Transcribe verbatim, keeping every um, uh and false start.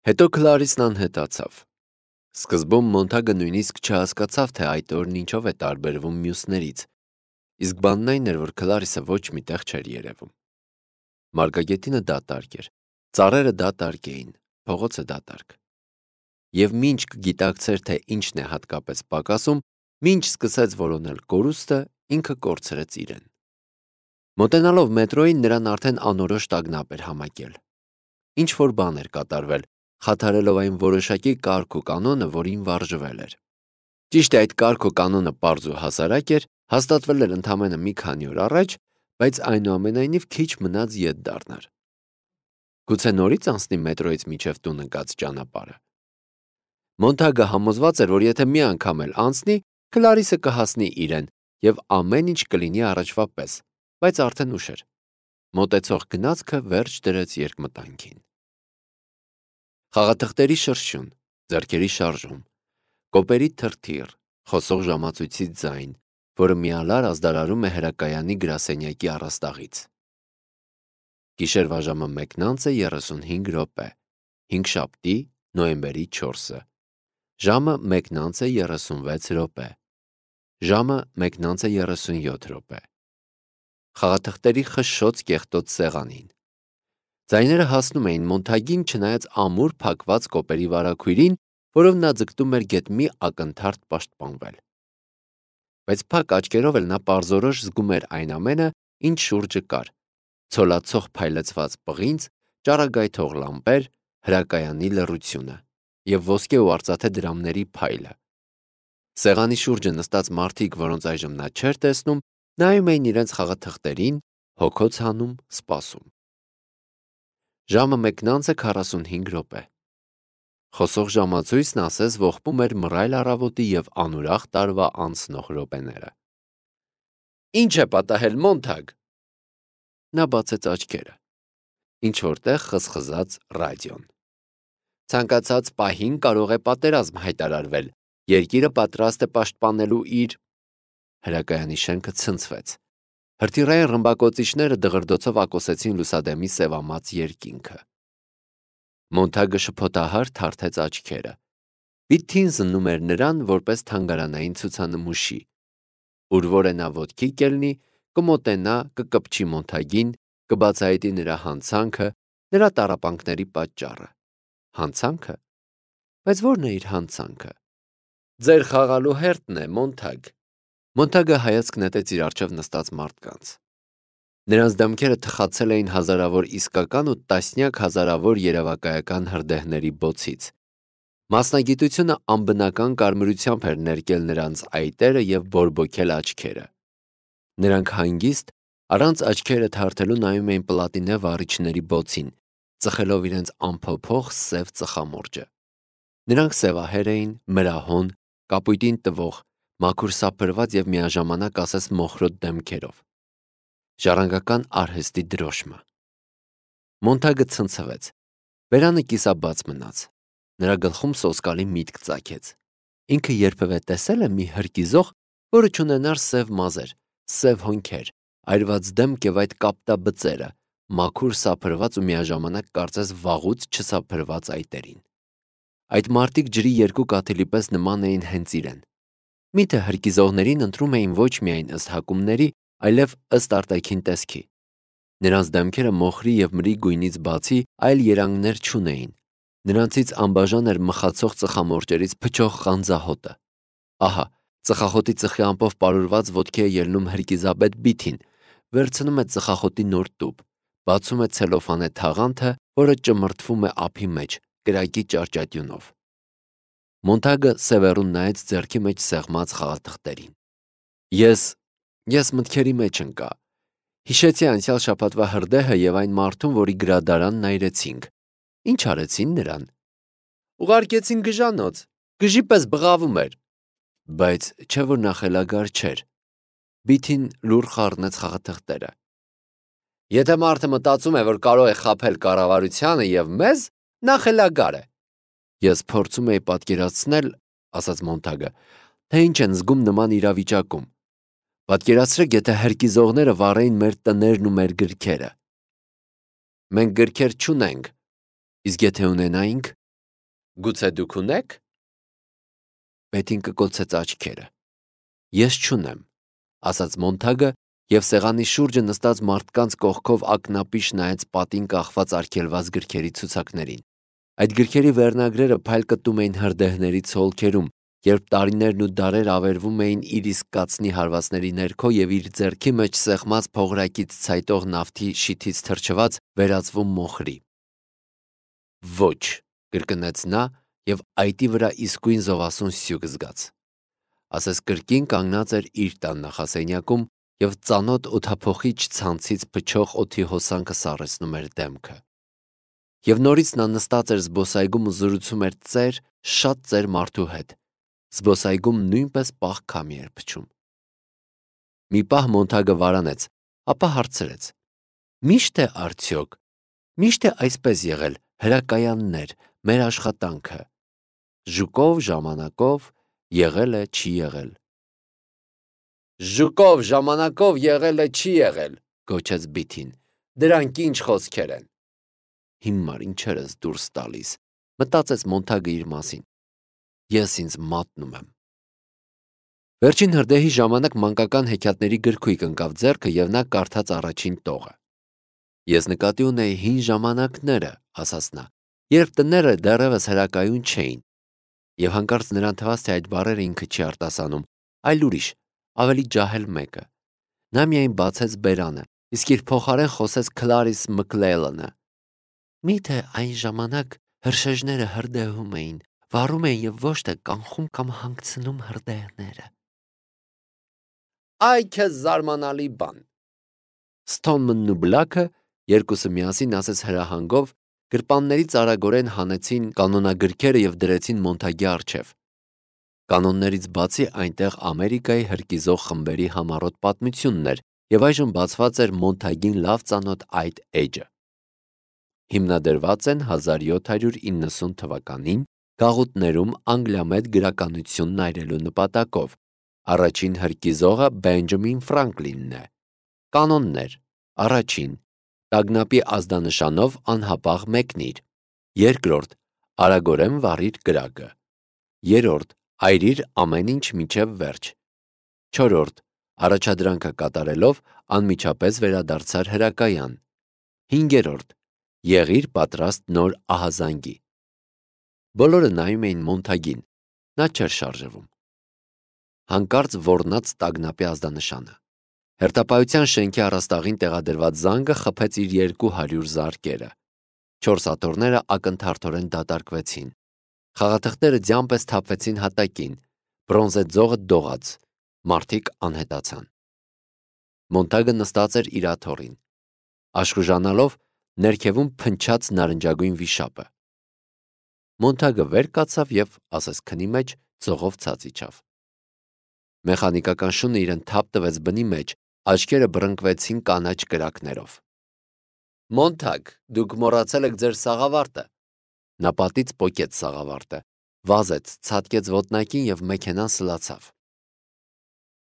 Հետո Քլարիսն անհետացավ։ Սկզբում Մոնթագը նույնիսկ չհասկացավ, թե այդ օրն ինչով է տարբերվում մյուսներից, իսկ բանն այն էր, որ Քլարիսը ոչ մի տեղ չէր երևում։ Մարգագետինը դատարկ էր, ծառերը դատարկ էին, փողոցը դատարկ։ Եվ մինչ կգիտակցեր, թե ինչն է հատկապես պակասում, մինչ սկսեց որոնել կորուստը, ինքը կորցրեց իրեն։ Մոտենալով մետրոյին նրան արդեն անորոշ տագնապ էր համակել։ Ինչ-որ բան էր կատարվել, խաթարելով այն որոշակի կարգ ու կանոնը, որին վարժվել էր։ Ճիշտ է, այդ կարգ ու կանոնը պարզ ու հասարակ էր, հաստատվել էր ընդամենը մի քանի օր առաջ, բայց այնուամենայնիվ քիչ մնաց ետ դառնար։ Գուցե նորից անցնի մետրոյից մինչև տուն ընկած ճանապարհը։ Մոնթագը համոզված էր, որ եթե մի անգամ էլ անցնի, Քլարիսը կհասնի իրեն եւ ամեն ինչ կլինի առաջվա պես, բայց արդեն ուշ էր։ Մոտեցող գնացքը վերջ դրեց երկմտանքին։ Խաղաթղթերի շրշյուն, ձեռքերի շարժում, կոպերի թրթիռ, խոսող ժամացույցի ձայն, որը միալար ազդարարում է հրակայանի գրասենյակի առաստաղից։ Գիշերվա ժամը մեկն անց է երեսունհինգ րոպե, հինգշաբթի, նոյեմբերի չորսը, ժամը մեկն անց է երեսունվեց րոպե, ժամը մեկն անց է երեսունյոթ րոպե։ Խաղաթղթերի խշշոց կեղտոտ սեղանին։ Ձայները հասնում էին Մոնթագին, չնայած ամուր փակված կոպերի վարագույրին, որով նա ձգտում էր գետ մի ակնթարթ պաշտպանվել։ Բայց փակ աչքերով էլ նա պարզորոշ զգում էր այն ամենը, ինչ շուրջը կար, ցոլացող փայլեցված պղինձ, ճառագայթող լամպեր, հրակայանի լռությունը և ոսկե ու արծաթե դրամների փայլը։ Սեղանի շուրջը նստած մարդիկ, որոնց այժմ նա չէր տեսնում, նայում էին իրենց խաղաթղթերին, հոգոց հանում, սպասում։ Ժամը մեկն անց է քառասունհինգ րոպե։ Խոսող ժամացույցն ասես ողբում էր մռայլ առավոտի և անուրախ տարվա անցնող րոպեները։ Ինչ է պատահել, Մոնթագ։ Նա բացեց աչքերը։ Ինչ-որտեղ խզխզաց ռադիոն։ Ցանկացած պահին կարող է պատերազմ հայտարարվել, երկիրը պատրաստ է պաշտպանելու իր… Հրակայանի շենքը ցնցվեց։ Հրթիռային ռմբակոծիչները դղրդոցով ակոսեցին լուսադեմի սևամած երկինքը։ Մոնթագը շփոթահար թարթեց աչքերը։ Պիթին զննում էր նրան որպես թանգարանային ցուցանմուշի, ուր որ է նա ոտքի կելնի, կմոտենա, կկպչի Մոնթագին, կբացահայտի նրա հանցանքը, նրա տառապանքների պատճառը։ Հանցանքը։ Բայց ո՞րն է իր հանցանքը։ Ձեր խաղալու հերթն է, Մոնթագ։ Մոնթագը հայացք նետեց իր առջև նստած մարդկանց։ Նրանց դեմքերը թխացել էին հազարավոր իսկական ու տասնյակ հազարավոր երևակայական հրդեհների բոցից։ Մասնագիտությունը անբնական կարմրությամբ էր ներկել նրանց այտերը և բորբոքել աչքերը։ Նրանք հանգիստ, առանց աչքերը թարթելու նայում էին պլատինե վառիչների բոցին, ծխելով իրենց անփոփոխ սև ծխամորճը։ Նրանք սևահեր էին, մրահոն, կապույտին տվող, մաքուր սափրված և միաժամանակ ասես մոխրոտ դեմքերով։ Ժառանգական արհեստի դրոշմը։ Մոնթագը ցնցվեց։ Բերանը կիսաբաց մնաց։ Նրա գլխում սոսկալի միտք ծագեց։ Ինքը երբևէ տեսել է մի հրկիզող, որը չունենար սև մազեր, սև հոնքեր, այրված դեմք և այդ կապտաբծերը, մաքուր սափրված ու միաժամանակ կարծես վաղուց չսափրված այտերին։ Այդ մարդիկ ջրի երկու կաթիլի պես նման էին հենց իրեն։ Միթե հրկիզողներին ընտրում էին ոչ միայն ըստ հակումների, այլև ըստ արտաքին տեսքի։ Նրանց դեմքերը մոխրի և մրի գույնից բացի այլ երանգներ չունեին։ Նրանցից անբաժան էր մխացող ծխամորճերից փչող խանձահոտը։ Ահա, ծխախոտի ծխի ամպով պարուրված ոտքի է ելնում հրկիզաբեդ Բիթին, վերցնում է ծխախոտի նոր տուփ, բացում է ցելոֆանե թաղանթը, որը ճմրթվում է ափի մեջ, կրակի ճարճատյունով։ Մոնթագը սևեռուն նայեց ձեռքի մեջ սեղմած խաղաթղթերին։ Ես… ես մտքերի մեջ ընկա։ Հիշեցի անցյալ շաբաթվա հրդեհը և այն մարդուն, որի գրադարանն այրեցինք։ Ինչ արեցին նրան։ Ուղարկեցին գժանոց, գժի պես բղավում էր։ Բայց չէ՞ որ նա խելագար չէր։ Բիթին լուռ խառնեց խաղաթղթերը։ Եթե մարդը մտածում է, որ կարող է խաբել կառավարությանը և մեզ, նա խելագար է։ Ես փորձում էի պատկերացնել, ասաց Մոնթագը, թե ինչ են զգում նման իրավիճակում։ Պատկերացրեք, եթե հրկիզողները վառեին մեր տներն ու մեր գրքերը։ Մենք գրքեր չունենք, իսկ եթե ունենայինք, Գուցե դուք ունեք։ Պետին կկոցեց աչքերը։ Ես չունեմ, ասաց Մոնթագը և սեղանի շուրջը նստած մարդկանց կողքով ակնապիշ նայեց պատին կախված արգելված գրքերի ցուցակներին։ Այդ գրքերի վերնագրերը փայլ կտում էին հրդեհների ցոլքերում, երբ տարիներն ու դարեր ավերվում էին իր իսկ կացնի հարվածների ներքո և իր ձեռքի մեջ սեղմած փողրակից ցայտող նավթի շիթից թրջված վերածվում մոխրի։ Ոչ, կրկնեց նա և այտի վրա իսկույն զովասուն սյուկ զգաց։ Ասես կրկին կանգնած էր իր տան նախասենյակում և ծանոթ օդափոխիչ ցանցից փչող օդի հոսանքը սառեցնում էր դեմքը։ Եվ նորից նա նստած էր զբոսայգում ու զրուցում էր ծեր, շատ ծեր մարդու հետ։ Զբոսայգում նույնպես պաղ քամի էր փչում։ Մի պահ Մոնթագը վարանեց, ապա հարցրեց. «Միշտ է արդյոք, միշտ է այսպես եղել, հրակայաններ, մեր աշխատանքը։ Ժուկով, ժամանակով, եղել է, չի եղել»։ «Ժուկով, ժամանակով եղել է, չի եղել», գոչեց Բիթին։ «Դրանք ինչ խոսքեր են»։ Հիմար ինչեր ես դուրս տալիս, մտածեց Մոնթագը իր մասին։ Ես ինձ մատնում եմ։ Վերջին հրդեհի ժամանակ մանկական հեքիաթների գրքույկ ընկավ ձեռքը և նա կարդաց առաջին տողը։ Ես նկատի ունեի հին ժամանակները, ասաց նա, երբ տները դեռևս հրակայուն չէին։ Եվ հանկարծ նրան թվաց, թե այդ բառերը ինքը չի արտասանում, այլ ուրիշ, ավելի ջահել մեկը։ Նա միայն բացեց բերանը, իսկ իր փոխարեն խոսեց Քլարիս Մքլելլանը։ Միթե այն ժամանակ հրշեջները հրդեհում էին, վառում էին և ոչ թե կանխում կամ հանգցնում հրդեհները։ Այ քեզ զարմանալի բան։ Սթոնմնն ու Բլաքը երկուսը միասին ասես հրահանգով գրպաններից արագորեն հանեցին կանոնագրքերը և դրեցին Մոնթագի առջև։ Կանոններից բացի այնտեղ Ամերիկայի հրկիզող խմբերի համառոտ պատմությունն էր և այժմ բացված էր Մոնթագին լավ ծանոթ այդ էջը։ Հիմնադրված են հազար յոթ հարյուր իննսուն թվականին գաղութներում անգլիամետ գրականությունն այրելու նպատակով։ Առաջին հրկիզողը Բենջամին Ֆրանկլինն է։ Կանոններ. Առաջին. տագնապի ազդանշանով անհապաղ մեկնիր։ Երկրորդ. արագորեն վառիր կրակը։ Երրորդ. այրիր ամեն ինչ մինչև վերջ։ Չորրորդ. առաջադրանքը կատարելով անմիջապես վերադարձար հրակայան։ Հինգերորդ. եղիր պատրաստ նոր ահազանգի։ Բոլորը նայում էին Մոնթագին, նա չէր շարժվում։ Հանկարծ ոռնաց տագնապի ազդանշանը։ Հերթապահության շենքի առաստաղին տեղադրված զանգը խփեց իր երկու հարյուր զարկերը։ Չորս աթոռները ակնթարթորեն դատարկվեցին։ Խաղաթղթերը ձյան պես թափվեցին հատակին, բրոնզե ձողը դողաց, մարդիկ անհետացան։ Մոնթագը նստած էր իր աթոռին։ Աշխուժանալով ներքևում փնչաց նարնջագույն վիշապը։ Մոնթագը վեր կացավ և, ասես քնի մեջ, ձողով ցած իջավ։ Մեխանիկական շունը իրեն թափ տվեց բնի մեջ, աչքերը բռնկվեցին կանաչ կրակներով։ Մոնթագ, դուք մոռացել եք ձեր սաղավարտը։ Նա պատից պոկեց սաղավարտը, վազեց, ցատկեց ոտնակին և մեքենան սլացավ։